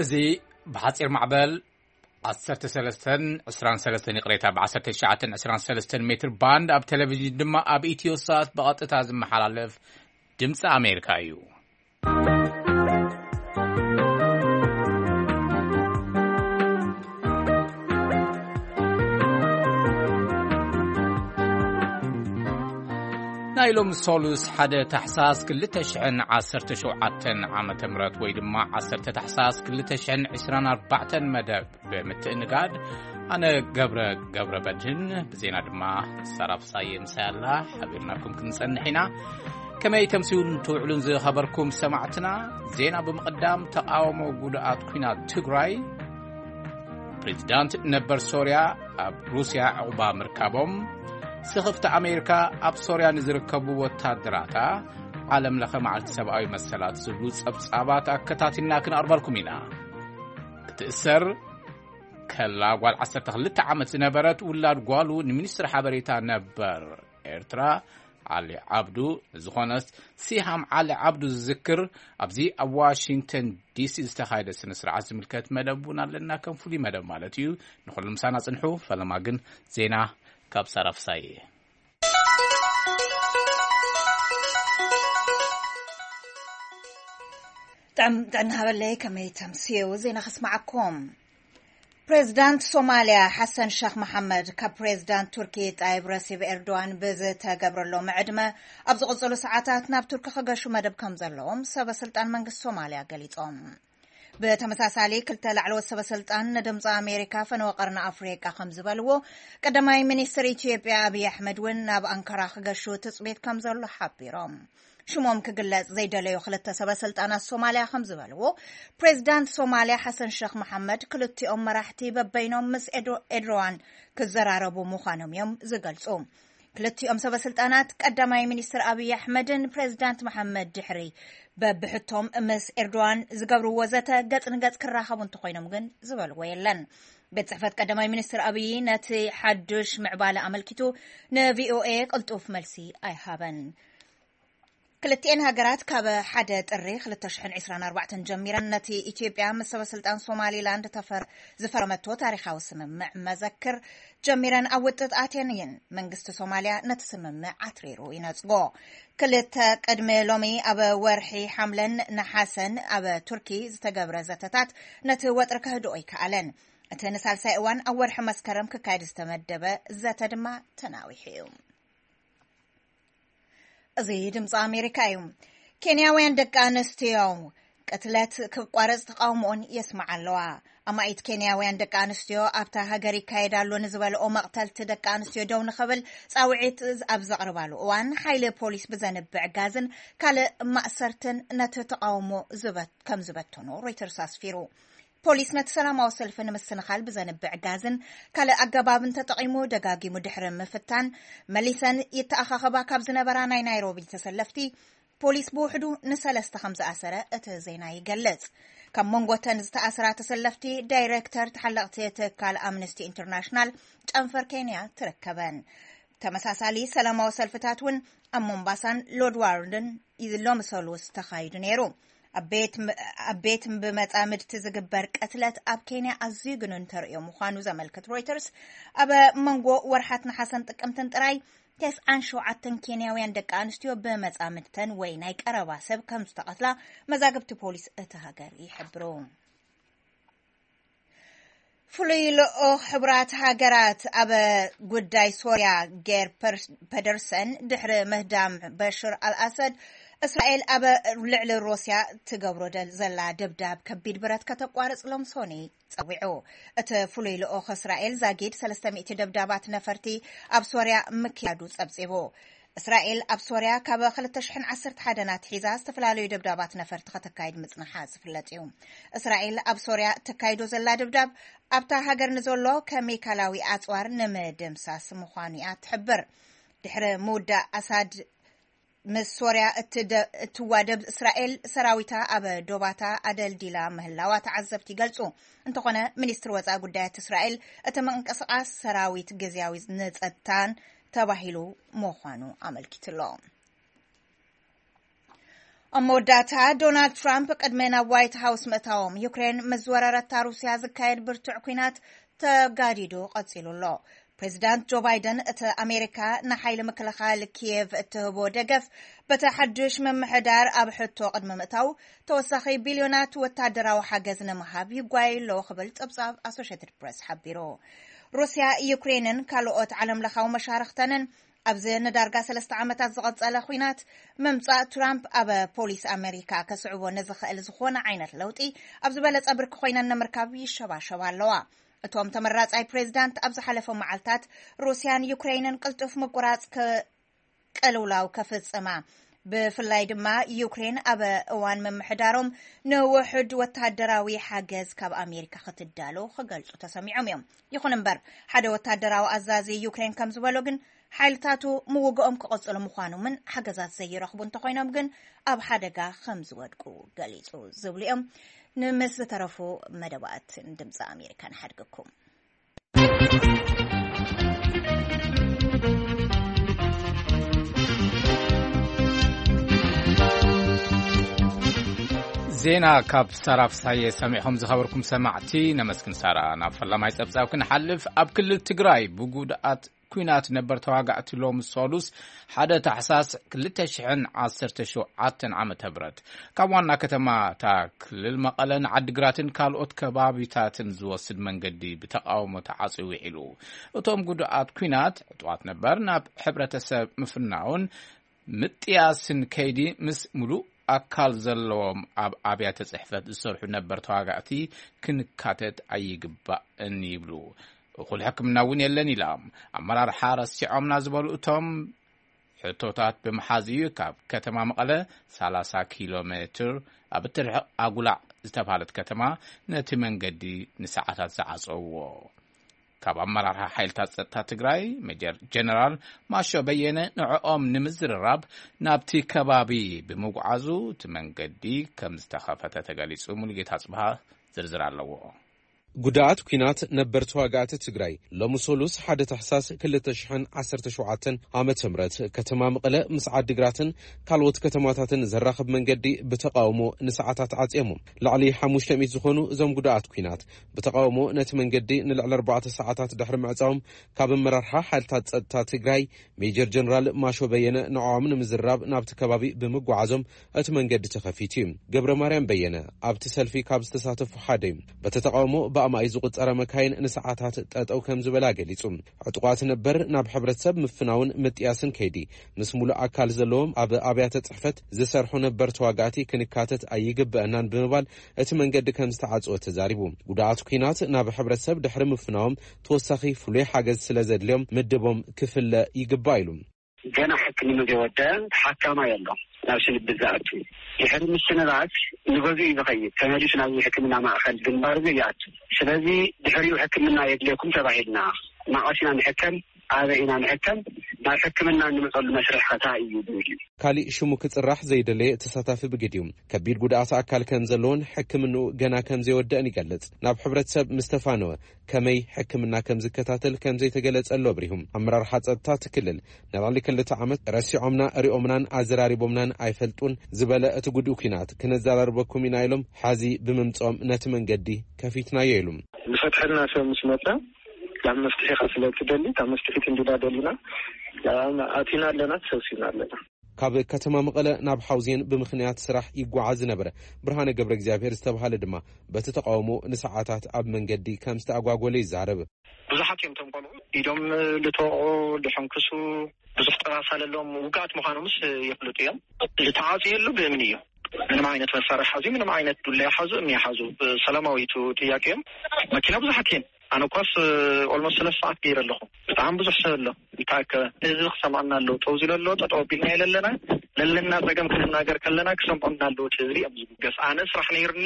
እዚ ብሓጺር ማዕበል ዓሰርተ ሰለስተን ዕስራን ሰለስተን፣ ይቕሬታ፣ ብ19 ዕስራን ሰለስተን ሜትር ባንድ፣ ኣብ ቴሌቪዥን ድማ ኣብ ኢትዮ ሳት ብቐጥታ ዝመሓላለፍ ድምፂ ኣሜሪካ እዩ። ናይ ሎሚ ሶሉስ ሓደ ታሕሳስ ክልተ ሽሕን ዓሰርተ ሸውዓተን ዓመተ ምህረት ወይ ድማ ዓሰርተ ታሕሳስ ክልተ ሽሕን ዕስራን ኣርባዕተን መደብ ብምትእንጋድ፣ ኣነ ገብረ ገብረ በድህን፣ ብዜና ድማ ሳራ ፍሳየ ምሳይ ኣላ። ሓቢርናኩም ክንጸንሕ ኢና። ከመይ ተምስዩን ትውዕሉን ዝኸበርኩም ሰማዕትና? ዜና ብምቕዳም፣ ተቓውሞ ጉድኣት ኲናት ትግራይ፣ ፕሬዚዳንት ነበር ሶርያ ኣብ ሩስያ ዕቑባ ምርካቦም፣ ስኽፍቲ ኣሜሪካ ኣብ ሶርያ ንዝርከቡ ወታደራታ ዓለም ለኸ መዓልቲ ሰብኣዊ መሰላት ዝብሉ ጸብጻባት ኣከታቲልና ክንኣርበልኩም ኢና። ክትእሰር ከላ ጓል ዓሰርተ ክልተ ዓመት ዝነበረት ውላድ ጓሉ ንሚኒስትሪ ሓበሬታ ነበር ኤርትራ ዓሊ ዓብዱ፣ ዝኾነ ሲሃም ዓሊ ዓብዱ ዝዝክር ኣብዚ ኣብ ዋሽንግተን ዲሲ ዝተኻየደ ስነ ስርዓት ዝምልከት መደብ እውን ኣለና። ከም ፍሉይ መደብ ማለት እዩ። ንኹሉ ምሳና ጽንሑ። ፈለማ ግን ዜና ካብ ሳራ ፍሳየ። ጥዕም ጥዕና ሃበለይ፣ ከመይ ተምስዩ? ዜና ከስማዓኩም። ፕሬዝዳንት ሶማልያ ሓሰን ሸኽ መሓመድ ካብ ፕሬዝዳንት ቱርኪ ጣይብ ረሲብ ኤርዶዋን ብዝተገብረሎም ዕድመ ኣብ ዝቕጽሉ ሰዓታት ናብ ቱርኪ ክገሹ መደብ ከም ዘለዎም ሰበ ስልጣን መንግስቲ ሶማልያ ገሊጾም። ብተመሳሳሊ ክልተ ላዕለዎት ሰበ ስልጣን ንድምፂ ኣሜሪካ ፈነወ ቀርኒ ኣፍሪቃ ከም ዝበልዎ፣ ቀዳማይ ሚኒስትር ኢትዮጵያ ኣብይ ኣሕመድ እውን ናብ ኣንካራ ክገሹ ትፅቢት ከም ዘሎ ሓቢሮም። ሽሞም ክግለጽ ዘይደለዩ ክልተ ሰበ ስልጣናት ሶማልያ ከም ዝበልዎ፣ ፕሬዝዳንት ሶማልያ ሓሰን ሸኽ መሓመድ ክልቲኦም መራሕቲ በበይኖም ምስ ኤድሮ- ኤድሮዋን ክዘራረቡ ምዃኖም እዮም ዝገልጹ። ክልቲኦም ሰበ ስልጣናት ቀዳማይ ሚኒስትር ኣብይ ኣሕመድን ፕሬዝዳንት መሓመድ ድሕሪ በብሕቶም ምስ ኤርዶዋን ዝገብርዎ ዘተ ገጽ ንገጽ ክራኸቡ እንተኾይኖም ግን ዝበልዎ የለን። ቤት ጽሕፈት ቀዳማይ ሚኒስትር ኣብይ ነቲ ሓዱሽ ምዕባለ ኣመልኪቱ ንቪኦኤ ቅልጡፍ መልሲ ኣይሃበን። ክልቲኤን ሃገራት ካብ ሓደ ጥሪ ክልተ ሽሕን ዕስራን ኣርባዕተን ጀሚረን ነቲ ኢትዮጵያ ምስ ሰበ ስልጣን ሶማሊላንድ ተፈር- ዝፈረመቶ ታሪኻዊ ስምምዕ መዘክር ጀሚረን ኣብ ውጥጥ ኣትየን እየን። መንግስቲ ሶማልያ ነቲ ስምምዕ ኣትሪሩ ይነጽጎ። ክልተ ቅድሚ ሎሚ ኣብ ወርሒ ሓምለን ነሓሰን ኣብ ቱርኪ ዝተገብረ ዘተታት ነቲ ወጥሪ ከህድኦ ኣይከኣለን። እቲ ንሳልሳይ እዋን ኣብ ወርሒ መስከረም ክካየድ ዝተመደበ ዘተ ድማ ተናዊሑ እዩ። እዚ ድምፂ ኣሜሪካ እዩ። ኬንያውያን ደቂ ኣንስትዮ ቅትለት ክቋረፅ ተቃውሞኦን የስምዓ ኣለዋ። ኣማኢት ኬንያውያን ደቂ ኣንስትዮ ኣብታ ሃገር ይካየድ ኣሎ ንዝበልኦ መቕተልቲ ደቂ ኣንስትዮ ደው ንኽብል ፃውዒት ኣብ ዘቕርባሉ እዋን፣ ሓይሊ ፖሊስ ብዘንብዕ ጋዝን ካልእ ማእሰርትን ነቲ ተቃውሞ ዝበ- ከም ዝበተኖ ሮይተርስ ኣስፊሩ። ፖሊስ ነቲ ሰላማዊ ሰልፊ ንምስንኻል ብዘንብዕ ጋዝን ካልእ ኣገባብን ተጠቒሙ ደጋጊሙ ድሕሪ ምፍታን፣ መሊሰን ይተኣኻኸባ ካብ ዝነበራ ናይ ናይሮቢ ተሰለፍቲ፣ ፖሊስ ብውሕዱ ንሰለስተ ከም ዝኣሰረ እቲ ዜና ይገልጽ። ካብ መንጎተን ዝተኣስራ ተሰለፍቲ፣ ዳይሬክተር ተሓለቕቲ ትካል ኣምነስቲ ኢንተርናሽናል ጨንፈር ኬንያ ትርከበን። ተመሳሳሊ ሰላማዊ ሰልፍታት እውን ኣብ ሞምባሳን ሎድዋርድን ሎሚ ሰሉስ ተኻይዱ ነይሩ። ኣብ ቤት ም- ኣብ ቤት ብመጻምድቲ ዝግበር ቅትለት ኣብ ኬንያ ኣዝዩ ግኑን ተርእዮ ምዃኑ ዘመልክት ሮይተርስ፣ ኣብ መንጎ ወርሓት ነሓሰን ጥቅምትን ጥራይ ተስዓን ሸውዓተን ኬንያውያን ደቂ ኣንስትዮ ብመጻምድተን ወይ ናይ ቀረባ ሰብ ከም ዝተቐትላ መዛግብቲ ፖሊስ እቲ ሃገር ይሕብሩ። ፍሉይ ልኡኽ ሕቡራት ሃገራት ኣብ ጉዳይ ሶርያ ጌር ፐደርሰን ድሕሪ ምህዳም በሽር ኣልኣሰድ፣ እስራኤል ኣብ ልዕሊ ሩስያ ትገብሮ ዘላ ደብዳብ ከቢድ ብረት ከተቋርጽ ሎም ሶኒ ጸዊዑ። እቲ ፍሉይ ልኡኽ እስራኤል ዛጊድ ሰለስተ ሚእቲ ደብዳባት ነፈርቲ ኣብ ሶርያ ምክያዱ ጸብጺቡ። እስራኤል ኣብ ሶርያ ካብ ክልተ ሽሕን ዓሰርተ ሓደን ኣትሒዛ ዝተፈላለዩ ደብዳባት ነፈርቲ ከተካይድ ምጽንሓ ዝፍለጥ እዩ። እስራኤል ኣብ ሶርያ እተካይዶ ዘላ ደብዳብ ኣብታ ሃገር ንዘሎ ከሚካላዊ ኣጽዋር ንምድምሳስ ምዃኑ እያ ትሕብር። ድሕሪ ምውዳእ ኣሳድ ምስ ሶርያ እትዋደብ እስራኤል፣ ሰራዊታ ኣብ ዶባታ ኣደልዲላ ምህላዋ ተዓዘብቲ ይገልጹ። እንተኾነ፣ ሚኒስትሪ ወጻኢ ጉዳያት እስራኤል እቲ ምንቅስቓስ ሰራዊት ግዝያዊ ንጸጥታን ተባሂሉ ምዃኑ ኣመልኪትሎ። ኣብ መወዳእታ፣ ዶናልድ ትራምፕ ቅድሚ ናብ ዋይት ሃውስ ምእታዎም፣ ዩክሬን ምስ ዝወረረታ ሩስያ ዝካየድ ብርቱዕ ኲናት ተጋዲዱ ቀጺሉ ኣሎ። ፕሬዚዳንት ጆ ባይደን፣ እቲ ኣሜሪካ ንሓይሊ ምክልኻል ኪየቭ እትህቦ ደገፍ በቲ ሓድሽ ምምሕዳር ኣብ ሕቶ ቅድሚ ምእታው፣ ተወሳኺ ቢልዮናት ወታደራዊ ሓገዝ ንምሃብ ይጓየዩ ኣለዎ ክብል ጸብጻብ ኣሶሼትድ ፕሬስ ሓቢሩ። ሩስያ፣ ዩክሬንን ካልኦት ዓለምለኻዊ መሻርኽተንን ኣብዚ ንዳርጋ ሰለስተ ዓመታት ዝቐጸለ ኲናት ምምጻእ ትራምፕ ኣብ ፖሊስ ኣመሪካ ከስዕቦ ንዝኽእል ዝኾነ ዓይነት ለውጢ ኣብ ዝበለጸ ብርኪ ኮይነን ንምርካብ ይሸባሸባ ኣለዋ። እቶም ተመራጻይ ፕሬዚዳንት ኣብ ዝሓለፈ መዓልታት ሩስያን ዩክሬንን ቅልጡፍ ምቁራጽ ከ-፣ ቅልውላው ከፍጽማ፣ ብፍላይ ድማ ዩክሬን ኣብ እዋን ምምሕዳሮም ንውሑድ ወታደራዊ ሓገዝ ካብ ኣሜሪካ ክትዳሎ ክገልጹ ተሰሚዖም እዮም። ይኹን እምበር፣ ሓደ ወታደራዊ ኣዛዚ ዩክሬን ከም ዝበሎ ግን፣ ሓይልታቱ ምውግኦም ክቕጽሉ ምዃኖምን ሓገዛት ዘይረኽቡ እንተኾይኖም ግን ኣብ ሓደጋ ከም ዝወድቁ ገሊጹ ዝብሉ እዮም። ንምስ ዝተረፉ መደባትን ድምፂ ኣሜሪካ ንሓድገኩም። ዜና ካብ ሳራ ፍሳየ ሰሚዕኹም ዝኸበርኩም ሰማዕቲ ነመስግን። ሳራ፣ ናብ ፈላማይ ጸብጻብ ክንሓልፍ፣ ኣብ ክልል ትግራይ ብጉድኣት ኲናት ነበር ተዋጋእቲ ሎሚ ሰሉስ ሓደ ታሕሳስ ክልተ ሽሕን ዓሰርተ ሸውዓተን ዓመተ ምህረት ካብ ዋና ከተማ እታ ክልል መቐለ ንዓዲግራትን ካልኦት ከባቢታትን ዝወስድ መንገዲ ብተቓውሞ ተዓጽዩ ውዒሉ። እቶም ጉድኣት ኲናት ዕጡቓት ነበር ናብ ሕብረተሰብ ምፍናውን ምጥያስን ከይዲ ምስ ሙሉእ ኣካል ዘለዎም ኣብ ኣብያተ ጽሕፈት ዝሰርሑ ነበር ተዋጋእቲ ክንካተት ኣይግባእን ይብሉ። እኹል ሕክምና እውን የለን ኢላ። ኣመራርሓ ረሲዖምና ዝበሉ እቶም ሕቶታት ብምሓዝ እዩ ካብ ከተማ መቐለ ሰላሳ ኪሎ ሜትር ኣብ እትርሕቕ ኣጉላዕ ዝተባህለት ከተማ ነቲ መንገዲ ንሰዓታት ዝዓጸውዎ። ካብ ኣመራርሓ ሓይልታት ጸጥታ ትግራይ ሜጀር ጀነራል ማሾ በየነ ንዕኦም ንምዝርራብ ናብቲ ከባቢ ብምጉዓዙ እቲ መንገዲ ከም ዝተኸፈተ ተገሊጹ። ሙሉጌታ ጽብሃ ዝርዝር ኣለዎ። ጉድኣት ኲናት ነበር ተዋጋእቲ ትግራይ ሎሚ ሰሉስ ሓደ ታሕሳስ ክልተ ሽሕን ዓሰርተ ሸውዓተን ዓመተ ምህረት ከተማ መቐለ ምስ ዓዲግራትን ካልኦት ከተማታትን ዘራኽብ መንገዲ ብተቃውሞ ንሰዓታት ዓጽዮሞ። ልዕሊ ሓሙሽተ ሚእቲ ዝኾኑ እዞም ጉድኣት ኲናት ብተቃውሞ ነቲ መንገዲ ንልዕሊ ኣርባዕተ ሰዓታት ድሕሪ ምዕጻዎም ካብ ኣመራርሓ ሓይልታት ጸጥታ ትግራይ ሜጀር ጀነራል ማሾ በየነ ንዕኦም ንምዝራብ ናብቲ ከባቢ ብምጓዓዞም እቲ መንገዲ ተኸፊቱ እዩ። ገብረ ማርያም በየነ ኣብቲ ሰልፊ ካብ ዝተሳተፉ ሓደ እዩ። በቲ ተቃውሞ ብኣማኢት ዝቁጸራ መካይን ንሰዓታት ጠጠው ከም ዝበላ ገሊጹ። ዕጡቓት ነበር ናብ ሕብረተሰብ ምፍናውን ምጥያስን ከይዲ ምስ ሙሉእ ኣካል ዘለዎም ኣብ ኣብያተ ጽሕፈት ዝሰርሑ ነበር ተዋጋእቲ ክንካተት ኣይግበአናን ብምባል እቲ መንገዲ ከም ዝተዓጽወ ተዛሪቡ። ጉድኣት ኲናት ናብ ሕብረተሰብ ድሕሪ ምፍናዎም ተወሳኺ ፍሉይ ሓገዝ ስለ ዘድልዮም ምድቦም ክፍለ ይግባእ ኢሉ። ገና ሕክምና ዘይወደ ተሓካማይ ኣሎ ናብ ስንብት ዝኣቱ። ድሕሪ ምስንባት ንገዝኡ እዩ ዝኸይድ። ተመሊሱ ናብ ሕክምና ማእከል ግንባር እዩ ይኣቱ። ስለዚ ድሕሪኡ ሕክምና የድልየኩም ተባሂልና፣ ማቐስ ኢና ንሕከም፣ ኣበይ ኢና ንሕከም፣ ናብ ሕክምና እንመፀሉ መስርሕ ኸታ እዩ ዝብል እዩ። ካሊእ ሽሙ ክጽራሕ ዘይደለየ ተሳታፊ ብግዲኡ ከቢድ ጉድኣት ኣካል ከም ዘለዎን ሕክምንኡ ገና ከም ዘይወደአን ይገልጽ። ናብ ሕብረተሰብ ምስ ተፋነወ ከመይ ሕክምና ከም ዝከታተል ከም ዘይተገለጸሉ ኣብሪሁ። ኣመራርሓ ጸጥታ እቲ ክልል ንልዕሊ ክልተ ዓመት ረሲዖምና፣ ሪኦምናን ኣዘራሪቦምናን ኣይፈልጡን ዝበለ እቲ ጉድኡ ኲናት ክነዘራርበኩም ኢና ኢሎም ሓዚ ብምምጽኦም ነቲ መንገዲ ከፊትናዮ ኢሉ። ዝፈትሐልና ሰብ ምስ መጸ ናብ መፍትሒ ኢኻ ስለ እትደሊ፣ ካብ መፍትሒት እንዲና ደሊና ኣቲና ኣለና፣ ተሰብሲብና ኣለና። ካብ ከተማ መቐለ ናብ ሓውዜን ብምኽንያት ስራሕ ይጓዓዝ ዝነበረ ብርሃነ ገብረ እግዚኣብሔር ዝተባህለ ድማ በቲ ተቃውሞ ንሰዓታት ኣብ መንገዲ ከም ዝተኣጓጎለ ይዛረብ። ብዙሓት እዮም እቶም ቆልዑ ኢዶም ልተወቑ፣ ልሕንክሱ፣ ብዙሕ ጠባሳ ለለዎም ውጋኣት ምዃኖምስ ይፍልጡ እዮም። ዝተዓጽየሉ ብእምኒ እዩ። ምንም ዓይነት መሳርሒ ሓዙ፣ ምንም ዓይነት ዱላ ይሓዙ፣ እምኒ ይሓዙ፣ ሰላማዊ እዩ ጥያቄኦም። መኪና ብዙሓት እየን። ኣነ እኳስ ኦልሞስት ሰለስተ ሰዓት ገይረ ኣለኹ። ብጣዕሚ ብዙሕ ሰብ ኣሎ ዝተኣከበ። ህዝቢ ክሰምዓና ኣለዎ። ጠው ዝለ ኣሎ፣ ጠጠው ኣቢልና የለለና። ለለና ጸገም ክንናገር ከለና ክሰምዑና ኣለዎ። እቲ ህዝቢ እዮም ዝብገስ። ኣነ ስራሕ ነይርኒ፣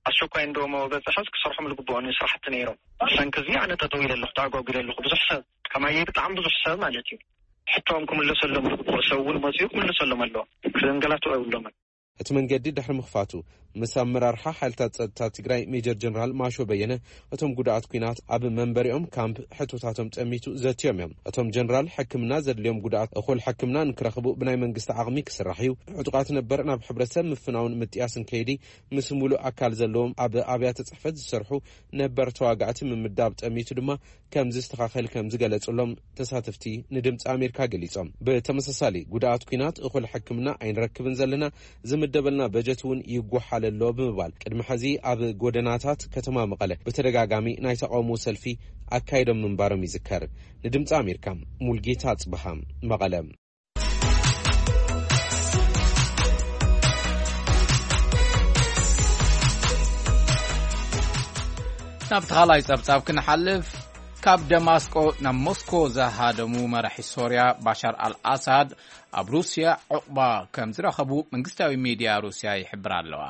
ኣስቸኳይ እንዶ መበጸሐስ ክሰርሖም ዝግብኦኒ ስራሕቲ ነይሮም። ብሰንኪ እዚ ኣነ ጠጠው ኢለ ኣለኹ፣ ተኣጓጒለ ኣለኹ። ብዙሕ ሰብ ከማየይ ብጣዕሚ ብዙሕ ሰብ ማለት እዩ። ሕቶኦም ክምለሰሎም ዝግብኦ ሰብ እውን መጺኡ ክምለሰሎም ኣለዎ። ክዘንገላትዑ የብሎምን። እቲ መንገዲ ድሕሪ ምኽፋቱ፣ ምስ ኣመራርሓ ሓይልታት ጸጥታ ትግራይ ሜጀር ጀነራል ማሾ በየነ፣ እቶም ጉድኣት ኲናት ኣብ መንበሪኦም ካምፕ ሕቶታቶም ጠሚቱ ዘትዮም እዮም። እቶም ጀነራል፣ ሕክምና ዘድልዮም ጉድኣት እኹል ሕክምና ንክረኽቡ ብናይ መንግስቲ ዓቕሚ ክስራሕ እዩ። ዕጡቓት ነበር ናብ ሕብረተሰብ ምፍናውን ምጥያስን ከይዲ፣ ምስ ሙሉእ ኣካል ዘለዎም ኣብ ኣብያተ ጽሕፈት ዝሰርሑ ነበር ተዋጋእቲ ምምዳብ ጠሚቱ ድማ ከም ዝስተኻኸል ከም ዝገለጹሎም ተሳተፍቲ ንድምፂ ኣሜሪካ ገሊጾም። ብተመሳሳሊ፣ ጉድኣት ኲናት እኹል ሕክምና ኣይንረክብን ዘለና፣ ዝምደበልና በጀት እውን ይጓሓል ኣሎ ብምባል፣ ቅድሚ ሕዚ ኣብ ጎደናታት ከተማ መቐለ ብተደጋጋሚ ናይ ተቃውሞ ሰልፊ ኣካይዶም ምንባሮም ይዝከር። ንድምፂ ኣሜሪካ፣ ሙልጌታ ኣጽብሃ፣ መቐለ። ናብቲ ካልኣይ ጸብጻብ ክንሓልፍ፣ ካብ ደማስቆ ናብ ሞስኮ ዝሃደሙ መራሒ ሶርያ ባሻር ኣልኣሳድ፣ ኣብ ሩስያ ዕቑባ ከም ዝረኸቡ መንግስታዊ ሚድያ ሩስያ ይሕብር ኣለዋ።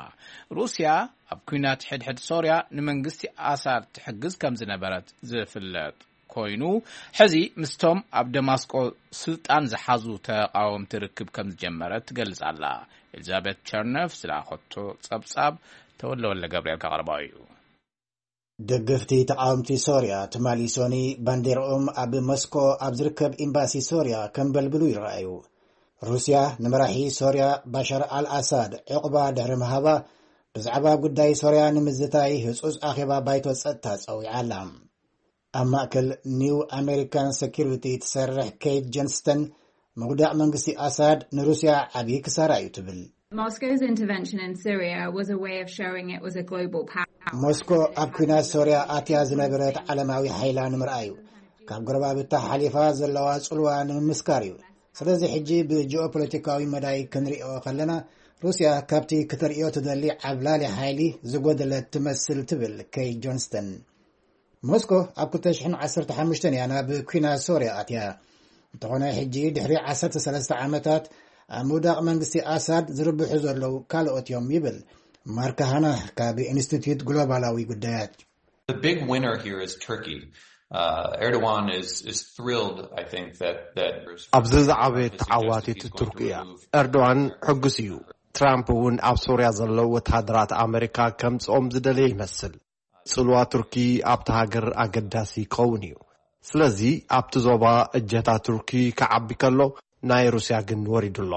ሩስያ ኣብ ኲናት ሕድሕድ ሶርያ ንመንግስቲ ኣሳድ ትሕግዝ ከም ዝነበረት ዝፍለጥ ኮይኑ፣ ሕዚ ምስቶም ኣብ ደማስቆ ስልጣን ዝሓዙ ተቃወምቲ ርክብ ከም ዝጀመረት ትገልጽ ኣላ። ኤሊዛቤት ቸርነፍ ዝለኣኸቶ ጸብጻብ ተወልደ ወልደ ገብርኤል ከቕርቦ እዩ። ደገፍቲ ተቃወምቲ ሶርያ ትማሊ ሶኒ ባንዴርኦም ኣብ ሞስኮ ኣብ ዝርከብ ኤምባሲ ሶርያ ከንበልብሉ ይረኣዩ። ሩስያ ንመራሒ ሶርያ ባሻር ኣልኣሳድ ዕቑባ ድሕሪ ምሃባ፣ ብዛዕባ ጉዳይ ሶርያ ንምዝታይ ህጹጽ ኣኼባ ባይቶ ጸጥታ ጸዊዓ ኣላ። ኣብ ማእከል ኒው ኣሜሪካን ሴኩሪቲ ትሰርሕ ኬት ጆንስተን፣ ምውዳቕ መንግስቲ ኣሳድ ንሩስያ ዓብዪ ክሳራ እዩ ትብል። Moscow's intervention in Syria was a way of showing it was a global power. ሞስኮ ኣብ ኲናት ሶርያ ኣትያ ዝነበረት ዓለማዊ ሓይላ ንምርኣዩ፣ ካብ ጎረባብታ ሓሊፋ ዘለዋ ጽልዋ ንምምስካር እዩ። ስለዚ ሕጂ ብጂኦፖለቲካዊ መዳይ ክንሪኦ ከለና፣ ሩስያ ካብቲ ክተርእዮ ትደሊ ዓብላሊ ሓይሊ ዝጎደለት ትመስል ትብል ኬት ጆንስተን። ሞስኮ ኣብ ክልተ ሽሕን ዓሰርተ ሓሙሽተን እያ ናብ ኲናት ሶርያ ኣትያ። እንተኾነ ሕጂ ድሕሪ ዓሰርተ ሰለስተ ዓመታት ኣብ ምውዳቕ መንግስቲ ኣሳድ ዝርብሑ ዘለዉ ካልኦት እዮም ይብል ማርክ ሃና ካብ ኢንስቲትዩት ግሎባላዊ ጉዳያት። The big winner here is Turkey. Uh, Erdogan is, is thrilled, I think, that, that ኣብዚ ዝዓበየ ተዓዋቲት ቱርኪ እያ። ኤርዶዋን ሕጉስ እዩ። ትራምፕ እውን ኣብ ሶርያ ዘለዉ ወተሃደራት ኣመሪካ ከምጽኦም ዝደለየ ይመስል። ጽልዋ ቱርኪ ኣብታ ሃገር ኣገዳሲ ክኸውን እዩ። ስለዚ ኣብቲ ዞባ እጀታ ቱርኪ ክዓቢ ከሎ፣ ናይ ሩስያ ግን ወሪዱ ኣሎ።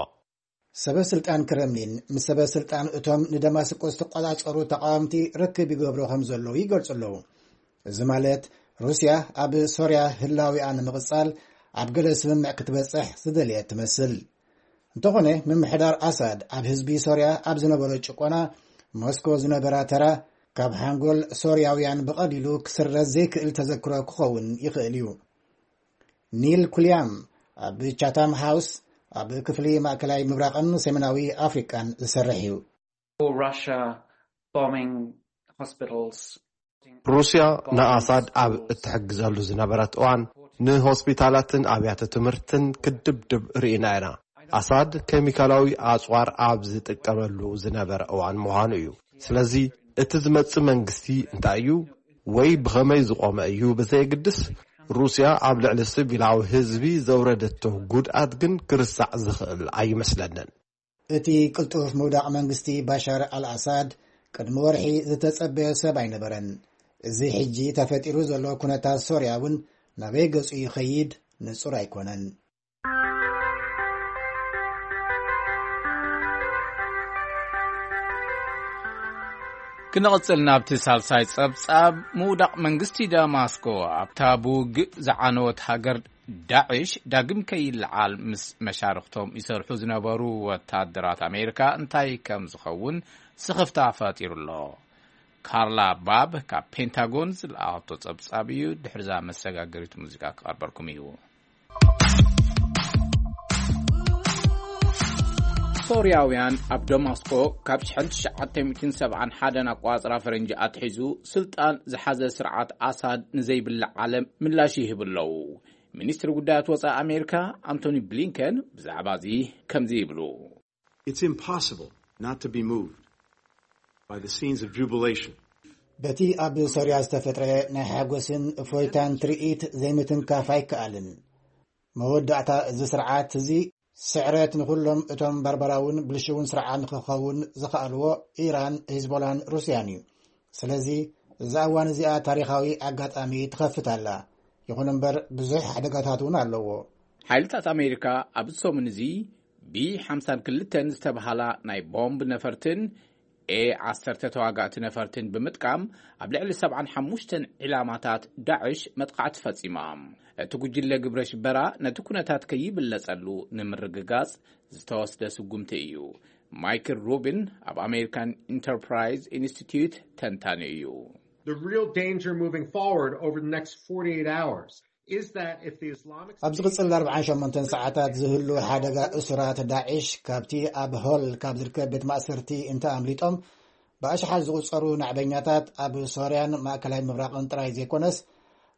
ሰበ ስልጣን ክረምሊን ምስ ሰበ ስልጣን እቶም ንደማስቆ ዝተቆጻጸሩ ተቃወምቲ ርክብ ይገብሩ ከም ዘለዉ ይገልጹ ኣለዉ። እዚ ማለት ሩስያ ኣብ ሶርያ ህላዊኣ ንምቕጻል ኣብ ገለ ስምምዕ ክትበጽሕ ዝደለየት ትመስል። እንተኾነ፣ ምምሕዳር ኣሳድ ኣብ ህዝቢ ሶርያ ኣብ ዝነበሮ ጭቆና፣ ሞስኮ ዝነበራ ተራ ካብ ሓንጎል ሶርያውያን ብቐሊሉ ክስረዝ ዘይክእል ተዘክሮ ክኸውን ይኽእል እዩ። ኒል ኩልያም ኣብ ቻታም ሃውስ፣ ኣብ ክፍሊ ማእከላይ ምብራቕን ሰሜናዊ ኣፍሪቃን ዝሰርሕ እዩ። Russia bombing hospitals. ሩስያ ንኣሳድ ኣብ እትሕግዘሉ ዝነበረት እዋን፣ ንሆስፒታላትን ኣብያተ ትምህርትን ክድብድብ ርኢና ኢና። ኣሳድ ኬሚካላዊ ኣጽዋር ኣብ ዝጥቀመሉ ዝነበረ እዋን ምዃኑ እዩ። ስለዚ እቲ ዝመጽእ መንግስቲ እንታይ እዩ ወይ ብኸመይ ዝቖመ እዩ ብዘየግድስ፣ ሩስያ ኣብ ልዕሊ ሲቪላዊ ህዝቢ ዘውረደቶ ጉድኣት ግን ክርሳዕ ዝኽእል ኣይመስለንን። እቲ ቅልጡፍ ምውዳቕ መንግስቲ ባሻር ኣልኣሳድ ቅድሚ ወርሒ ዝተጸበየ ሰብ ኣይነበረን። እዚ ሕጂ ተፈጢሩ ዘሎ ኩነታት ሶርያ እውን ናበይ ገጹ ይኸይድ ንጹር ኣይኮነን። ክንቕጽል ናብቲ ሳልሳይ ጸብጻብ። ምውዳቕ መንግስቲ ደማስቆ ኣብታ ብውግእ ዝዓነወት ሃገር ዳዕሽ ዳግም ከይለዓል ምስ መሻርኽቶም ይሰርሑ ዝነበሩ ወታደራት ኣሜሪካ እንታይ ከም ዝኸውን ስኽፍታ ፈጢሩ ኣሎ። ካርላ ባብ ካብ ፔንታጎን ዝለኣኸቶ ጸብጻብ እዩ። ድሕሪዛ መሰጋገሪት ሙዚቃ ክቐርበልኩም እዩ። ሶርያውያን ኣብ ደማስቆ ካብ ሽሕን ትሽዓተ ሚእትን ሰብዓን ሓደን ኣቋጽራ ፈረንጂ ኣትሒዙ ስልጣን ዝሓዘ ስርዓት ኣሳድ ንዘይብላዕ ዓለም ምላሽ ይህብ ኣለዉ። ሚኒስትሪ ጉዳያት ወጻኢ ኣሜሪካ ኣንቶኒ ብሊንከን ብዛዕባ እዚ ከምዚ ይብሉ። It's impossible not to be moved by the scenes of jubilation. በቲ ኣብ ሶርያ ዝተፈጥረ ናይ ሓጎስን እፎይታን ትርኢት ዘይምትንካፍ ኣይከኣልን። መወዳእታ እዚ ስርዓት እዚ ስዕረት ንኹሎም እቶም ባርባራውን ብልሽውን ስርዓት ንክኸውን ዝኸኣልዎ ኢራን፣ ሂዝቦላን ሩስያን እዩ። ስለዚ እዛ እዋን እዚኣ ታሪኻዊ ኣጋጣሚ ትኸፍት ኣላ። ይኹን እምበር ብዙሕ ሓደጋታት እውን ኣለዎ። ሓይልታት ኣሜሪካ ኣብዚ ሰሙን እዚ ቢ ሓምሳን ክልተን ዝተብሃላ ናይ ቦምብ ነፈርትን ኤ ዓሰርተ ተዋጋእቲ ነፈርትን ብምጥቃም ኣብ ልዕሊ ሰብዓን ሓሙሽተን ዒላማታት ዳዕሽ መጥቃዕቲ ፈጺማ። እቲ ጉጅለ ግብረ ሽበራ ነቲ ኩነታት ከይብለጸሉ ንምርግጋጽ ዝተወስደ ስጉምቲ እዩ። ማይክል ሩቢን ኣብ ኣሜሪካን ኢንተርፕራይዝ ኢንስቲትዩት ተንታኒ እዩ። The real danger moving forward over the next forty-eight hours is that if the Islamic ኣብ ዝቕጽል ኣርብዓን ሸሞንተን ሰዓታት ዝህሉ ሓደጋ እሱራት ዳዕሽ ካብቲ ኣብ ሆል ካብ ዝርከብ ቤት ማእሰርቲ እንተ ኣምሊጦም፣ ብኣሽሓት ዝቑጸሩ ናዕበኛታት ኣብ ሶርያን ማእከላይ ምብራቕን ጥራይ ዘይኮነስ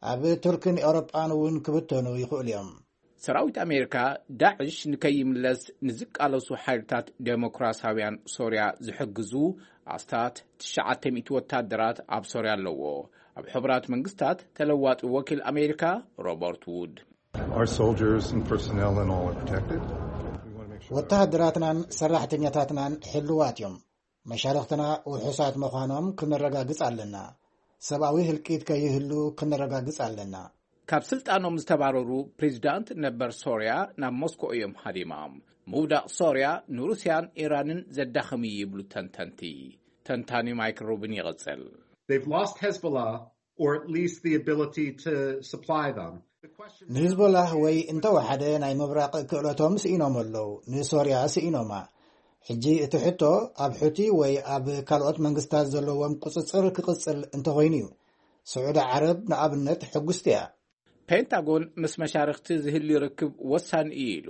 ኣብ ቱርክን ኤውሮጳን እውን ክብተኑ ይኽእሉ እዮም። ሰራዊት ኣሜሪካ ዳዕሽ ንከይምለስ ንዝቃለሱ ሓይልታት ዴሞክራሲያውያን ሶርያ ዝሕግዙ ኣስታት ትሽዓተ ሚእቲ ወታደራት ኣብ ሶርያ ኣለዎ። ኣብ ሕቡራት መንግስታት ተለዋጢ ወኪል ኣሜሪካ ሮበርት ውድ Our soldiers and personnel and all are protected. ወተሃደራትናን ሰራሕተኛታትናን ሕልዋት እዮም። መሻርኽትና ውሑሳት ምዃኖም ክነረጋግጽ ኣለና። ሰብኣዊ ህልቂት ከይህሉ ክነረጋግጽ ኣለና። ካብ ስልጣኖም ዝተባረሩ ፕሬዚዳንት ነበር ሶርያ ናብ ሞስኮ እዮም ሃዲሞም። ምውዳቕ ሶርያ ንሩስያን ኢራንን ዘዳኽም እዩ ይብሉ ተንተንቲ። ተንታኒ ማይክል ሩቢን ይቕጽል። They've lost Hezbollah, or at least the ability to supply them. ንሂዝቦላህ ወይ እንተወሓደ ናይ ምብራቕ ክእለቶም ስኢኖም ኣለዉ። ንሶርያ ስኢኖማ። ሕጂ እቲ ሕቶ ኣብ ሑቲ ወይ ኣብ ካልኦት መንግስታት ዘለዎም ቁጽጽር ክቕጽል እንተኾይኑ እዩ። ስዑዲ ዓረብ ንኣብነት ሕጉስቲ እያ። ፔንታጎን ምስ መሻርኽቲ ዝህልዩ ርክብ ወሳኒ እዩ ኢሉ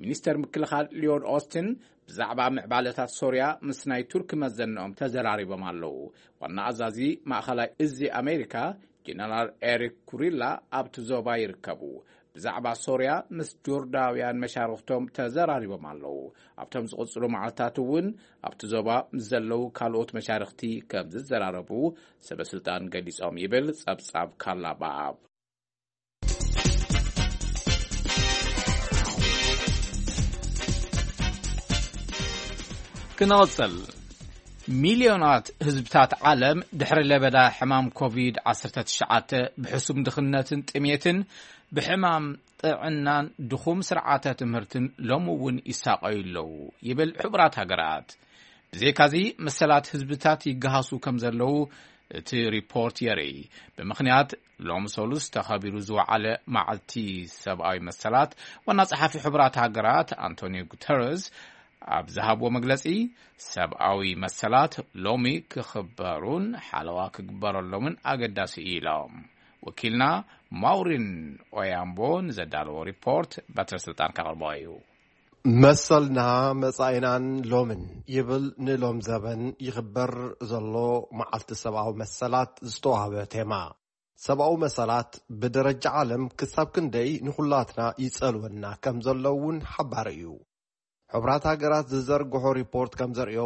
ሚኒስተር ምክልኻል ሊዮድ ኦስትን። ብዛዕባ ምዕባለታት ሶርያ ምስ ናይ ቱርኪ መዘንኦም ተዘራሪቦም ኣለዉ። ዋና ኣዛዚ ማእኸላይ እዚ ኣሜሪካ ጀነራል ኤሪክ ኩሪላ ኣብቲ ዞባ ይርከቡ። ብዛዕባ ሶርያ ምስ ጆርዳውያን መሻርኽቶም ተዘራሪቦም ኣለዉ። ኣብቶም ዝቕጽሉ መዓልታት እውን ኣብቲ ዞባ ምስ ዘለዉ ካልኦት መሻርኽቲ ከም ዝዘራረቡ ሰበ ስልጣን ገሊጾም ይብል ጸብጻብ ካላባብ። ክንቕጽል። ሚልዮናት ህዝብታት ዓለም ድሕሪ ለበዳ ሕማም ኮቪድ ዓሰርተ ትሽዓተ ብሕሱም ድኽነትን ጥሜትን ብሕማም ጥዕናን ድኹም ስርዓተ ትምህርትን ሎሚ እውን ይሳቐዩ ኣለዉ ይብል ሕቡራት ሃገራት። ብዘይካዚ መሰላት ህዝብታት ይገሃሱ ከም ዘለዉ እቲ ሪፖርት የርኢ። ብምኽንያት ሎም ሰሉስ ተኸቢሩ ዝወዓለ መዓልቲ ሰብኣዊ መሰላት ዋና ጸሓፊ ሕቡራት ሃገራት ኣንቶኒዮ ጉተረዝ ኣብ ዝሃብዎ መግለጺ ሰብኣዊ መሰላት ሎሚ ክኽበሩን ሓለዋ ክግበረሎምን ኣገዳሲ እዩ ኢሎም። ወኪልና ማውሪን ኦያምቦ ንዘዳለዎ ሪፖርት በትረ ስልጣን ከቕርቦ እዩ። መሰልና መጻኢናን ሎምን ይብል ንሎም ዘበን ይኽበር ዘሎ መዓልቲ ሰብኣዊ መሰላት ዝተዋህበ ቴማ። ሰብኣዊ መሰላት ብደረጃ ዓለም ክሳብ ክንደይ ንኹላትና ይጸልወና ከም ዘሎ እውን ሓባሪ እዩ። ሕቡራት ሃገራት ዝዘርግሖ ሪፖርት ከም ዘርእዮ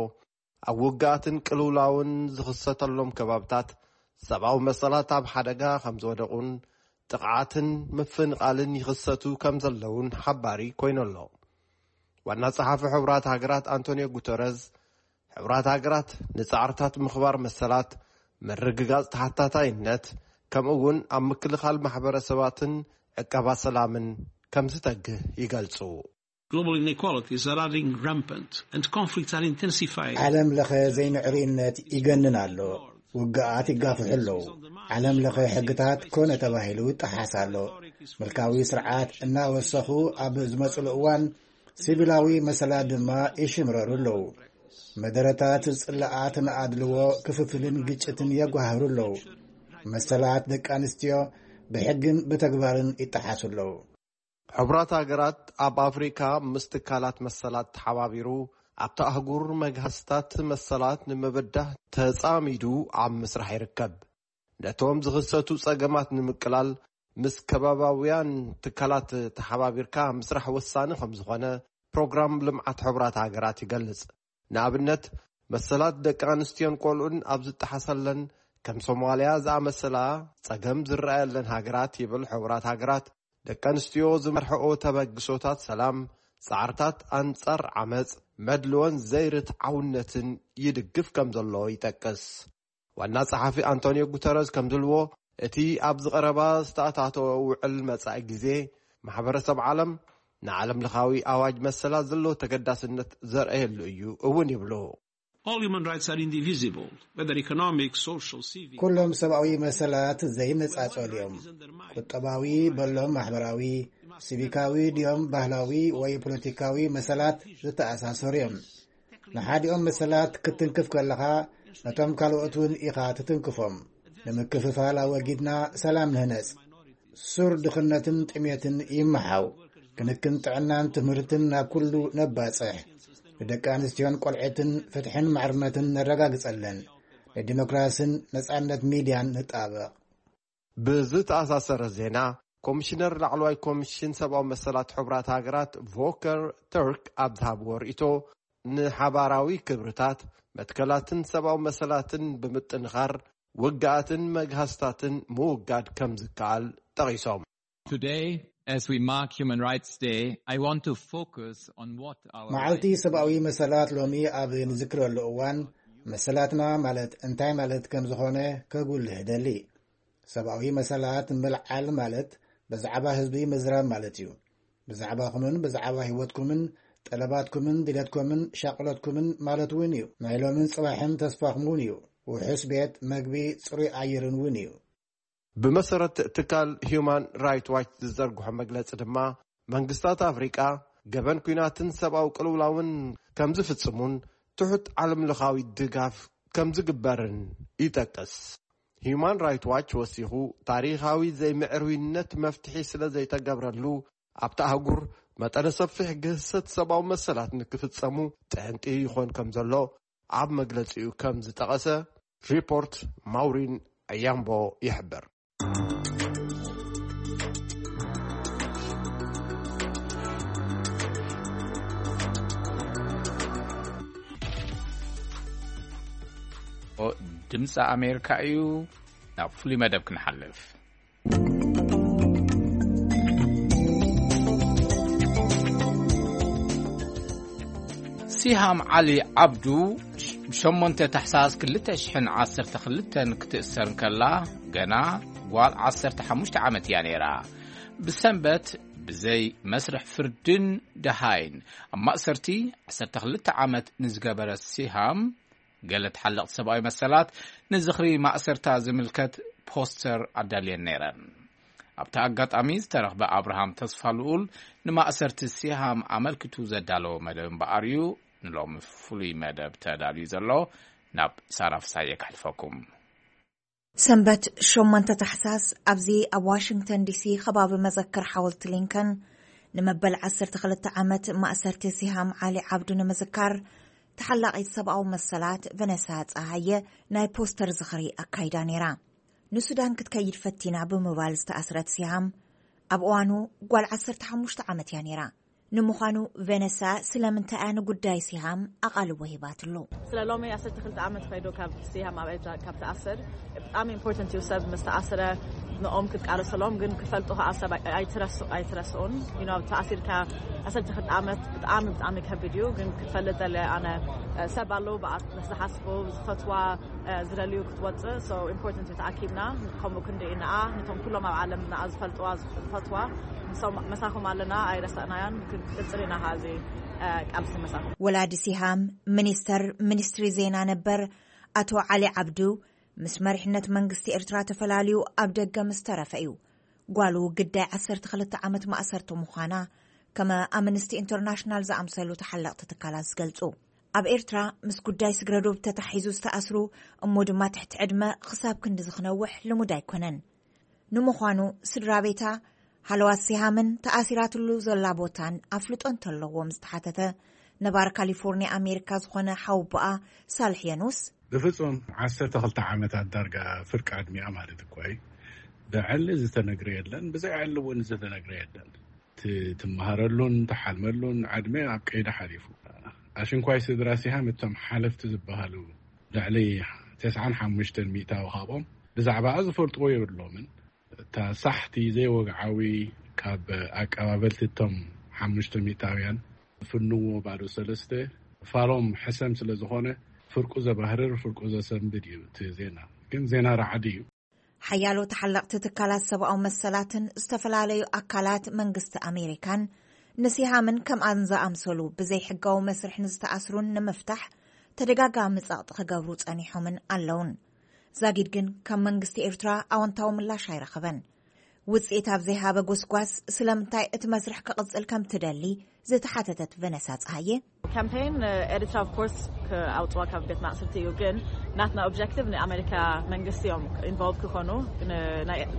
ኣብ ውግኣትን ቅልውላውን ዝኽሰተሎም ከባብታት ሰብኣዊ መሰላት ኣብ ሓደጋ ከም ዝወደቑን ጥቕዓትን ምፍንቓልን ይኽሰቱ ከም ዘለውን ሓባሪ ኮይኑ ኣሎ። ዋና ጸሓፊ ሕቡራት ሃገራት ኣንቶኒዮ ጉተረዝ ሕቡራት ሃገራት ንጻዕርታት ምኽባር መሰላት ምርግጋጽ ተሓታታይነት ከምኡ እውን ኣብ ምክልኻል ማሕበረሰባትን ዕቀባ ሰላምን ከም ዝተግህ ይገልጹ። Global inequalities are running rampant and conflicts are intensifying. ዓለም ለኸ ዘይምዕሩይነት ይገንን ኣሎ። ውግኣት ይጋፍሑ ኣለዉ። ዓለም ለኸ ሕግታት ኮነ ተባሂሉ ይጠሓስ ኣሎ። ምልካዊ ስርዓት እናወሰኹ ኣብ ዝመጽሉ እዋን ሲቪላዊ መሰላት ድማ ይሽምረሩ ኣለዉ። መደረታት ጽላኣት ንኣድልዎ ክፍፍልን ግጭትን የጓህሩ ኣለዉ። መሰላት ደቂ ኣንስትዮ ብሕግን ብተግባርን ይጠሓሱ ኣለዉ። ሕቡራት ሃገራት ኣብ ኣፍሪካ ምስ ትካላት መሰላት ተሓባቢሩ ኣብቲ ኣህጉር መግሃስታት መሰላት ንምብዳህ ተጻሚዱ ኣብ ምስራሕ ይርከብ። ነቶም ዝኽሰቱ ጸገማት ንምቅላል ምስ ከባባውያን ትካላት ተሓባቢርካ ምስራሕ ወሳኒ ከም ዝኾነ ፕሮግራም ልምዓት ሕቡራት ሃገራት ይገልጽ። ንኣብነት መሰላት ደቂ ኣንስትዮን ቆልዑን ኣብ ዝጠሓሰለን ከም ሶማልያ ዝኣመሰላ ጸገም ዝረኣየለን ሃገራት ይብል ሕቡራት ሃገራት ደቂ ኣንስትዮ ዝመርሕኦ ተበግሶታት ሰላም ጻዕርታት ኣንጻር ዓመጽ፣ መድልዎን ዘይርትዓውነትን ይድግፍ ከም ዘሎ ይጠቅስ። ዋና ጸሓፊ ኣንቶኒዮ ጉተረዝ ከም ዝብልዎ፣ እቲ ኣብዚ ቀረባ ዝተኣታተወ ውዕል መጻኢ ግዜ፣ ማሕበረሰብ ዓለም ንዓለም ለኻዊ ኣዋጅ መሰላት ዘለዎ ተገዳስነት ዘርእየሉ እዩ እውን ይብሉ። All human rights are indivisible, whether economic, social, civic. ኩሎም ሰብኣዊ መሰላት ዘይነጻጸሉ እዮም። ቁጠባዊ በሎም ማሕበራዊ፣ ሲቪካዊ ድዮም ባህላዊ ወይ ፖለቲካዊ መሰላት ዝተኣሳሰሩ እዮም። ንሓዲኦም መሰላት ክትንክፍ ከለኻ፣ ነቶም ካልኦት እውን ኢኻ ትትንክፎም። ንምክፍፋል ኣወጊድና ሰላም ንህነጽ። ሱር ድኽነትን ጥሜትን ይመሓው። ክንክን ጥዕናን ትምህርትን ናብ ኩሉ ነባጽሕ። ንደቂ ኣንስትዮን ቆልዕትን ፍትሕን ማዕርነትን ነረጋግጸለን። ንዲሞክራስን ነጻነት ሚድያን ንጣበቕ። ብዝተኣሳሰረ ዜና፣ ኮሚሽነር ላዕለዋይ ኮሚሽን ሰብኣዊ መሰላት ሕቡራት ሃገራት ቮከር ተርክ ኣብ ዝሃብዎ ርእይቶ፣ ንሓባራዊ ክብርታት፣ መትከላትን ሰብኣዊ መሰላትን ብምጥንኻር፣ ውግኣትን መግሃስታትን ምውጋድ ከም ዝከኣል ጠቒሶም። Today, as we mark Human Rights Day, I want to focus on what our መዓልቲ ሰብኣዊ መሰላት ሎሚ ኣብ ንዝክረሉ እዋን፣ መሰላትና ማለት እንታይ ማለት ከም ዝኾነ ከጉልህ እደሊ። ሰብኣዊ መሰላት ምልዓል ማለት ብዛዕባ ህዝቢ ምዝራብ ማለት እዩ። ብዛዕባኹምን ብዛዕባ ህይወትኩምን ጠለባትኩምን ድሌትኩምን ሻቕሎትኩምን ማለት እውን እዩ። ናይ ሎምን ጽባሕን ተስፋኹም እውን እዩ። ውሑስ ቤት፣ መግቢ፣ ጽሩይ ኣየርን እውን እዩ። ብመሰረት ትካል ሂዩማን ራይት ዋች ዝዘርግሖ መግለጺ ድማ፣ መንግስታት ኣፍሪቃ ገበን ኲናትን ሰብኣዊ ቅልውላውን ከም ዝፍጽሙን ትሑት ዓለምለኻዊ ድጋፍ ከም ዝግበርን ይጠቅስ። ሂዩማን ራይት ዋች ወሲኹ፣ ታሪኻዊ ዘይምዕርዊነት መፍትሒ ስለ ዘይተገብረሉ፣ ኣብቲ ኣህጉር መጠነ ሰፊሕ ግህሰት ሰብኣዊ መሰላት ንክፍጸሙ ጠንቂ ይኾን ከም ዘሎ ኣብ መግለጺኡ ከም ዝጠቐሰ ሪፖርት ማውሪን ኣያምቦ ይሕብር። ድምፂ ኣሜሪካ እዩ። ናብ ፍሉይ መደብ ክንሓልፍ። ሲሃም ዓሊ ዓብዱ፣ ሸሞንተ ታሕሳስ ክልተ ሽሕን ዓሰርተ ክልተን ክትእሰር እንከላ፣ ገና ጓል ዓሰርተ ሓሙሽተ ዓመት እያ ነይራ። ብሰንበት ብዘይ መስርሕ ፍርድን ደሃይን ኣብ ማእሰርቲ ዓሰርተ ክልተ ዓመት ንዝገበረ ሲሃም፣ ገለ ተሓለቕቲ ሰብኣዊ መሰላት ንዝኽሪ ማእሰርታ ዝምልከት ፖስተር ኣዳልየን ነይረን። ኣብቲ ኣጋጣሚ ዝተረኽበ ኣብርሃም ተስፋ ልኡል፣ ንማእሰርቲ ሲሃም ኣመልኪቱ ዘዳለዎ መደብ እምበኣር እዩ ንሎሚ ፍሉይ መደብ ተዳልዩ ዘሎ። ናብ ሳራ ፍሳየ ከሕልፈኩም። ሰንበት ሸሞንተ ታሕሳስ ኣብዚ ኣብ ዋሽንግተን ዲሲ ከባቢ መዘክር ሓወልቲ ሊንከን፣ ንመበል ዓሰርተ ክልተ ዓመት ማእሰርቲ ሲሃም ዓሊ ዓብዱ ንምዝካር፣ ተሓላቒት ሰብኣዊ መሰላት ቨነሳ ጸሃየ ናይ ፖስተር ዝኽሪ ኣካይዳ ነይራ። ንሱዳን ክትከይድ ፈቲና ብምባል ዝተኣስረት ሲሃም፣ ኣብ እዋኑ ጓል ዓሰርተ ሓሙሽተ ዓመት እያ ነይራ። ንምዃኑ ቬነሳ ስለምንታይ እያ ንጉዳይ ሲሃም ኣቓልቦ ሂባትሉ? ስለ ሎሚ ዓሰርተ ክልተ ዓመት ኸይዱ ካብ ሲሃም ኣብ ኤርትራ ካብ ተኣሰር፣ ብጣዕሚ ኢምፖርታንት እዩ። ሰብ ምስ ተኣሰረ ንኦም ክትቃለሰሎም፣ ግን ክፈልጡ ከዓ ሰብ ኣይ-፣ ኣይትረስ-፣ ኣይትረስኡን። You know፣ ተኣሲርካ ዓሰርተ ክልተ ዓመት ብጣዕሚ፣ ብጣዕሚ ከቢድ እዩ። ግን ክትፈልጥ ደለ ኣነ፣ እ፣ ሰብ ኣለዉ ብኣ-፣ ምስ ዝሓስቡ ዝፈትዋ፣ እ፣ ዝደልዩ ክትወፅእ። So ኢምፖርታንት እዩ ተኣኪብና። ከምኡ ክንዲ ኢና፣ ነቶም ኩሎም ኣብ ዓለም ንኣ ዝፈልጥዋ፣ ዝፈትዋ፣ ምሶም፣ መሳኹም ኣለና፣ ኣይረሳእናያን፣ ክንቅጽል ኢና ኸኣ እዚ፣ እ፣ ቃልሲ መሳኹም። ወላዲ ሲሃም፣ ሚኒስተር ሚኒስትሪ ዜና ነበር ኣቶ ዓሊ ዓብዱ፣ ምስ መሪሕነት መንግስቲ ኤርትራ ተፈላልዩ ኣብ ደገ ምስ ተረፈ እዩ ጓሉ ግዳይ ዓሰርተ ክልተ ዓመት ማእሰርቲ ምዃና፣ ከመ ኣምነስቲ ኢንተርናሽናል ዝኣምሰሉ ተሓለቕቲ ትካላት ዝገልጹ። ኣብ ኤርትራ ምስ ጉዳይ ስግረ ዶብ ተታሒዙ ዝተኣስሩ፣ እሞ ድማ ትሕቲ ዕድመ ክሳብ ክንድዚ ክነውሕ ልሙድ ኣይኮነን። ንምዃኑ ስድራ ቤታ፣ ሃለዋት ሲሃምን ተኣሲራትሉ ዘላ ቦታን ኣፍልጦ እንተለዎም ዝተሓተተ፣ ነባር ካሊፎርኒያ ኣሜሪካ ዝኾነ ሓወቦኣ ሳልሕ የኑስ፣ ብፍጹም ዓሰርተ ክልተ ዓመታት ዳርጋ ፍርቂ ዕድሚኣ ማለት እኮ እዩ። ብዕሊ ዝተነግረ የለን፣ ብዘይ ዕሊ እውን ዝተነግረ የለን። ት-፣ ትመሃረሉን ትሓልመሉን ዕድመ ኣብ ቀይዲ ሓሊፉ። ኣሽንኳይ ስድራ ሲሃም እቶም ሓለፍቲ ዝበሃሉ ልዕሊ ተስዓን ሓሙሽተን ሚእታዊ ካብኦም ብዛዕባኣ ዝፈልጥዎ የብሎምን። እታ ሳሕቲ ዘይወግዓዊ ካብ ኣቀባበልቲ እቶም ሓሙሽተ ሚእታውያን ፍንዎ ባዶ ሰለስተ ፋሎም ሕሰም ስለ ዝኾነ ፍርቁ ዘባህርር ፍርቁ ዘሰንብድ እዩ እቲ ዜና። ግን ዜና ራዕዲ እዩ። ሓያሎ ተሓለቕቲ ትካላት ሰብኣዊ መሰላትን ዝተፈላለዩ ኣካላት መንግስቲ ኣሜሪካን ንሲሃምን ከምኣን ዝኣምሰሉ ብዘይሕጋዊ መስርሕ ንዝተኣስሩን ንምፍታሕ ተደጋጋሚ ጸቕጢ ክገብሩ ጸኒሖምን ኣለውን። ዛጊድ ግን ካብ መንግስቲ ኤርትራ ኣወንታዊ ምላሽ ኣይረኸበን። ውጽኢት ኣብ ዘይሃበ ጎስጓስ ስለምንታይ እቲ መስርሕ ክቕጽል ከም ትደሊ ዝተሓተተት ቨነሳ ጸሃየ፣ ካምፔን ኤርትራ ኦፍ ኮርስ ክኣውፅዋ ካብ ቤት ማእስርቲ እዩ። ግን ናትና ኦብጀክቲቭ ንኣሜሪካ መንግስቲ እዮም ኢንቮልቭ ክኾኑ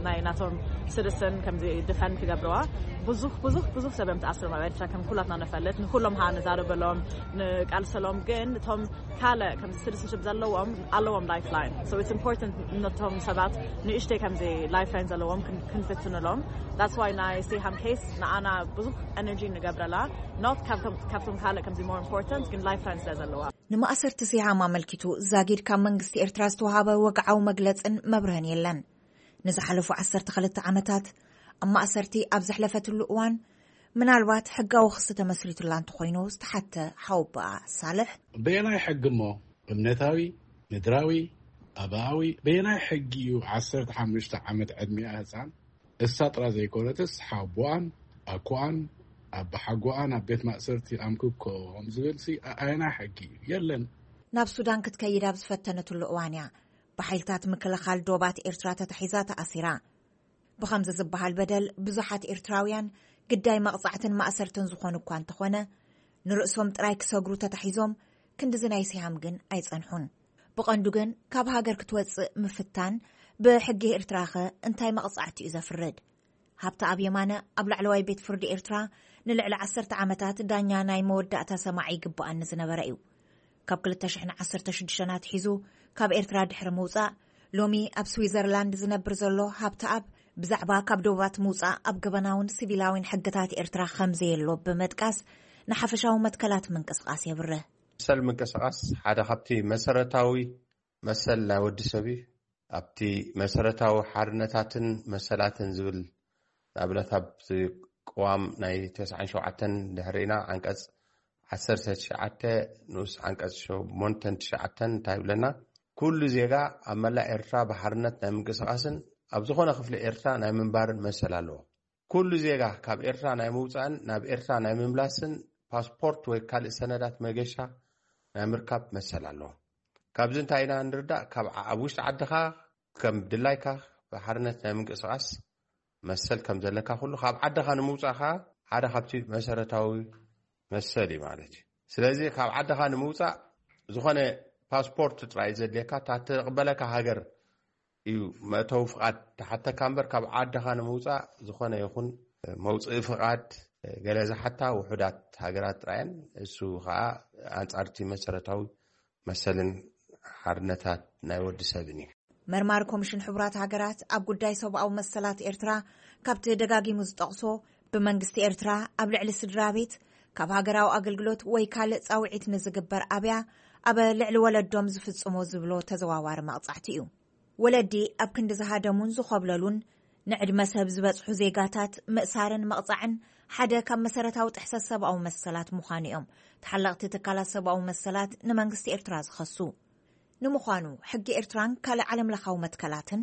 ናይ ናቶም ስርስን ከምዚ ድፈን ክገብርዋ ብዙሕ ብዙሕ ብዙሕ ሰብ እዮም ተኣስሮም ኣብ ኤርትራ ከም ኩላትና ንፈልጥ። ንኩሎም ሃ ንዛረበሎም ንቃልሰሎም ግን እቶም ካልእ ከምዚ ሲቲዝንሽፕ ዘለዎም ኣለዎም ላይፍ ላይን። So it's important ነቶም ሰባት ንእሽተይ ከምዚ ላይፍ ላይን ዘለዎም ክንፍትንሎም። That's why ናይ ሲሃም ኬስ ንኣና ብዙሕ ኤነርጂ ንገብረላ። Not ካብቶም ካልእ ከምዚ more important ግን ላይፍ ላይን ስለ ዘለዋ። ንማእሰርቲ ሲሃም ኣመልኪቱ ዛጊድ ካብ መንግስቲ ኤርትራ ዝተዋሃበ ወግዓዊ መግለጽን መብርህን የለን። ንዝሓለፉ ዓሰርተ ክልተ ዓመታት ኣብ ማእሰርቲ ኣብ ዘሕለፈትሉ እዋን ምናልባት ሕጋዊ ክሲ ተመስሪቱላ እንተኾይኑ ዝተሓተ ሓወቦኣ ሳልሕ፣ በየናይ ሕጊ እሞ? እምነታዊ፣ ምድራዊ፣ ኣባኣዊ፣ በየናይ ሕጊ እዩ ዓሰርተ ሓሙሽተ ዓመት ዕድሚኣ ህፃን እሳ ጥራ ዘይኮነትስ ሓወቦኣን ኣኮኣን ኣባሓጎኣን ኣብ ቤት ማእሰርቲ ኣምክኮም ዝብል ሲ ኣየናይ ሕጊ እዩ? የለን። ናብ ሱዳን ክትከይድ ኣብ ዝፈተነትሉ እዋን እያ ብሓይልታት ምክልኻል ዶባት ኤርትራ ተታሒዛ ተኣሲራ። ብኸምዚ ዝበሃል በደል ብዙሓት ኤርትራውያን ግዳይ መቕጻዕትን ማእሰርትን ዝኾኑ እኳ እንተኾነ፣ ንርእሶም ጥራይ ክሰግሩ ተታሒዞም ክንድዚ ናይ ሲሃም ግን ኣይጸንሑን። ብቐንዱ ግን ካብ ሃገር ክትወጽእ ምፍታን ብሕጊ ኤርትራኸ እንታይ መቕጻዕቲ እዩ ዘፍርድ? ሃብተኣብ የማነ ኣብ ላዕለዋይ ቤት ፍርዲ ኤርትራ ንልዕሊ ዓሰርተ ዓመታት ዳኛ ናይ መወዳእታ ሰማዒ ይግብኣኒ ዝነበረ እዩ። ካብ ክልተ ሽሕን ዓሰርተ ሽዱሽተን ኣትሒዙ ካብ ኤርትራ ድሕሪ ምውጻእ፣ ሎሚ ኣብ ስዊዘርላንድ ዝነብር ዘሎ ሃብተኣብ፣ ብዛዕባ ካብ ዶባት ምውጻእ ኣብ ገበናውን ሲቪላዊን ሕግታት ኤርትራ ከም ዘየሎ ብምጥቃስ፣ ንሓፈሻዊ መትከላት ምንቅስቓስ የብርህ። መሰል ምንቅስቓስ ሓደ ካብቲ መሰረታዊ መሰል ናይ ወዲ ሰብ እዩ። ኣብቲ መሰረታዊ ሓርነታትን መሰላትን ዝብል ንኣብነት ኣብቲ ቅዋም ናይ ተስዓን ሸውዓተን ድሕሪና ዓንቀጽ ዓሰርተ ትሽዓተ ንኡስ ዓንቀጽ ሸሞንተን ትሽዓተን እንታይ ይብለና? ኩሉ ዜጋ ኣብ መላእ ኤርትራ ብሓርነት ናይ ምንቅስቓስን ኣብ ዝኾነ ክፍሊ ኤርትራ ናይ ምንባርን መሰል ኣለዎ። ኩሉ ዜጋ ካብ ኤርትራ ናይ ምውጻእን ናብ ኤርትራ ናይ ምምላስን ፓስፖርት ወይ ካልእ ሰነዳት መገሻ ናይ ምርካብ መሰል ኣለዎ። ካብዚ እንታይ ኢና ንርዳእ? ካብ ዓ- ኣብ ውሽጢ ዓድኻ ከም ድላይካ ብሓርነት ናይ ምንቅስቓስ መሰል ከም ዘለካ ኩሉ ካብ ዓድኻ ንምውጻእ ከኣ ሓደ ካብቲ መሰረታዊ መሰል እዩ ማለት እዩ። ስለዚ ካብ ዓድኻ ንምውጻእ ዝኾነ ፓስፖርት ጥራይ ዘድልየካ እታ ትቕበለካ ሃገር እዩ መእተዊ ፍቓድ ትሓተካ እምበር ካብ ዓድኻ ንምውጻእ ዝኾነ ይኹን መውፅኢ ፍቓድ ገለ ዝሓታ ውሑዳት ሃገራት ጥራየን እሱ ከዓ ኣንጻርቲ መሰረታዊ መሰልን ሓርነታት ናይ ወዲ ሰብን እዩ። መርማሪ ኮሚሽን ሕቡራት ሃገራት ኣብ ጉዳይ ሰብኣዊ መሰላት ኤርትራ ካብቲ ደጋጊሙ ዝጠቕሶ ብመንግስቲ ኤርትራ ኣብ ልዕሊ ስድራ ቤት ካብ ሃገራዊ ኣገልግሎት ወይ ካልእ ጻውዒት ንዝግበር ኣብያ ኣብ ልዕሊ ወለዶም ዝፍጽሞ ዝብሎ ተዘዋዋሪ መቕጻዕቲ እዩ። ወለዲ ኣብ ክንዲ ዝሃደሙን ዝኾብለሉን ንዕድመ ሰብ ዝበጽሑ ዜጋታት ምእሳርን ምቕጻዕን ሓደ ካብ መሰረታዊ ጥሕሰት ሰብኣዊ መሰላት ምዃኑ እዮም ተሓለቕቲ ትካላት ሰብኣዊ መሰላት ንመንግስቲ ኤርትራ ዝኸሱ። ንምዃኑ ሕጊ ኤርትራን ካልእ ዓለምለኻዊ መትከላትን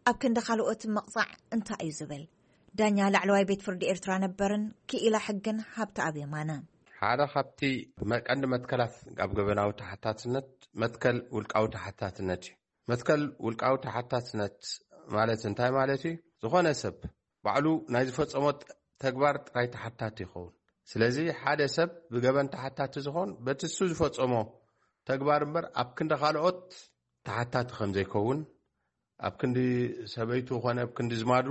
ኣብ ክንዲ ካልኦት ምቕጻዕ እንታይ እዩ ዝብል? ዳኛ ላዕለዋይ ቤት ፍርዲ ኤርትራ ነበርን ክኢላ ሕግን ሃብተኣብ የማነ። ሓደ ካብቲ ቀንዲ መትከላት ኣብ ገበናዊ ተሓታትነት መትከል ውልቃዊ ተሓታትነት እዩ። መትከል ውልቃዊ ተሓታትነት ማለት እንታይ ማለት እዩ? ዝኾነ ሰብ ባዕሉ ናይ ዝፈጸሞ ተግባር ጥራይ ተሓታቲ ይኸውን። ስለዚ ሓደ ሰብ ብገበን ተሓታቲ ዝኾን በቲ እሱ ዝፈጸሞ ተግባር እምበር ኣብ ክንዲ ካልኦት ተሓታቲ ከም ዘይከውን፣ ኣብ ክንዲ ሰበይቱ ኮነ ኣብ ክንዲ ዝማዱ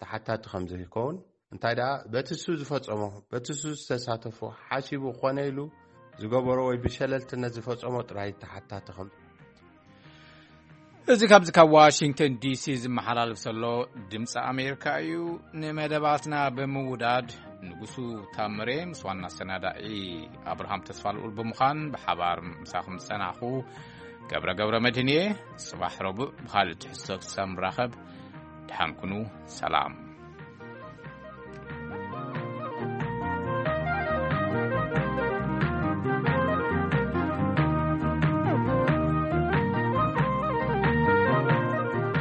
ተሓታቲ ከም ዘይከውን፣ እንታይ ደኣ በቲ እሱ ዝፈጸሞ በቲ እሱ ዝተሳተፎ ሓሲቡ ኮነ ኢሉ ዝገበሮ ወይ ብሸለልትነት ዝፈጸሞ ጥራይ ተሓታቲ ከም እዚ ካብዚ ካብ ዋሽንግተን ዲሲ ዝመሓላለፍ ዘሎ ድምፂ ኣሜሪካ እዩ። ንመደባትና ብምውዳድ ንጉሱ ታምሬ ምስ ዋና ኣሰናዳኢ ኣብርሃም ተስፋልኡል ብምዃን ብሓባር ምሳኹም ዝጸናሕኹ ገብረ ገብረ መድህን እየ። ጽባሕ ረቡዕ ብኻልእ ትሕዝቶ ክሳብ ንራኸብ ደሓን ኩኑ። ሰላም።